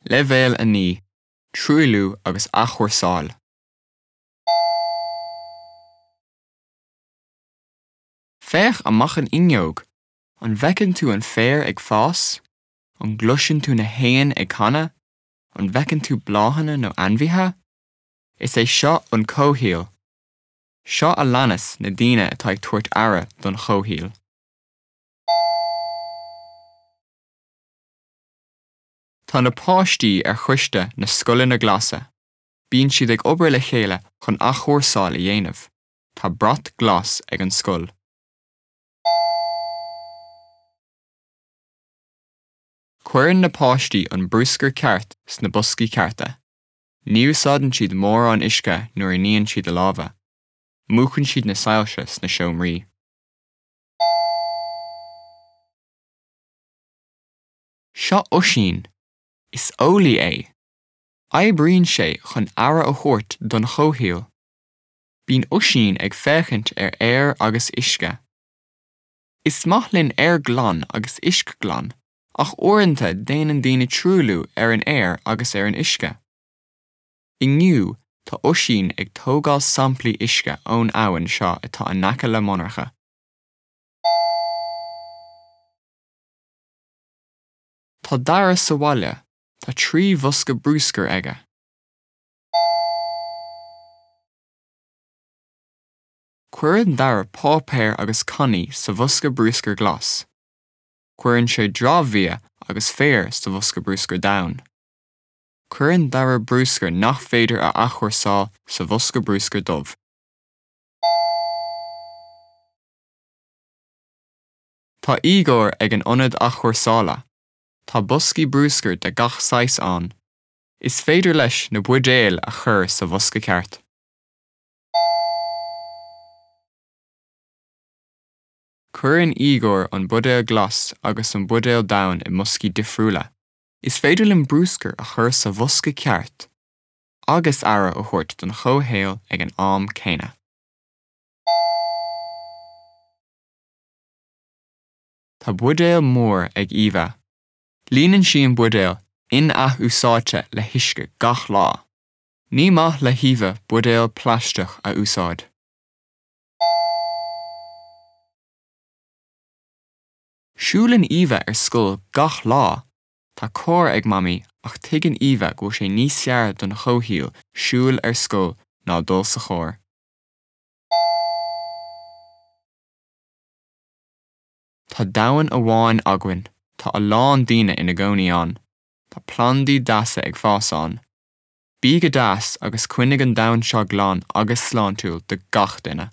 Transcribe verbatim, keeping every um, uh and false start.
Leibhéal a naoi, Truailliú agus athchúrsáil. Féach amach an fhuinneog. An bhfeiceann tú an féar ag fás? An gcloiseann tú na héin ag canadh? An bhfeiceann tú bláthanna nó ainmhithe? Is é seo an comhshaol. Seo a leanas na daoine atá ag tabhairt aire don chomhshaol. Tá na páistí ar choiste na Scoileanna Glasa. Bíonn siad ag obair le chéile chun athchúrsáil a dhéanamh. Tá brat glas ag an scoil. Cuireann na páistí an bruscar ceart sna boscaí cearta. Ní úsáideann siad mórán uisce nuair a níonn siad a lámha. Múchann siad na soilse sna seomraí. Seo Oisín. Is eolaí é. Oibríonn sé chun aire a thabhairt don chomhshaol. Bíonn Oisín ag féachaint ar aer agus uisce. Is maith linn aer glan agus uisce glan, ach uaireanta déanann daoine truailliú ar an aer agus ar an uisce. Inniu tá Oisín ag tógáil samplaí uisce ón abhainn seo atá in aice le monarcha. Tá Dara sa bhaile, tá trí bhosca bruscair aige. Cuireann Dara páipéar agus cannaí sa bhosca bruscair glas. Cuireann sé dramhbhia agus féar sa bhosca bruscair donn. Cuireann Dara bruscar nach féidir a athchúrsáil sa bhosca bruscair dubh. Tá Igor ag an ionad athchúrsála. Tá boscaí bruscair de gach saghas ann. Is féidir leis na buidéil a chur sa bhosca ceart. Cuireann Igor an buidéal glas agus an buidéal donn i mboscaí difriúla. Is féidir linn bruscar a chur sa bhosca ceart agus aire a thabhairt don chomhshaol ag an am céanna. Tá buidéal mór ag Eva. Líonann sí an buidéal in-athúsáidte le huisce gach lá. Ní maith le hEva buidéal plaisteach a úsáid. Siúlann Eva ar scoil gach lá. Tá carr ag Mamaí ach tuigeann Eva go bhfuil sé níos fearr don chomhshaol siúl ar scoil ná dul sa charr. Tá domhan amháin againn. Tá a lán daoine ina gcónaí ann. Tá plandaí deasa ag fás ann. Bí go deas agus coinnigh an domhan seo glan agus sláintiúil do gach duine.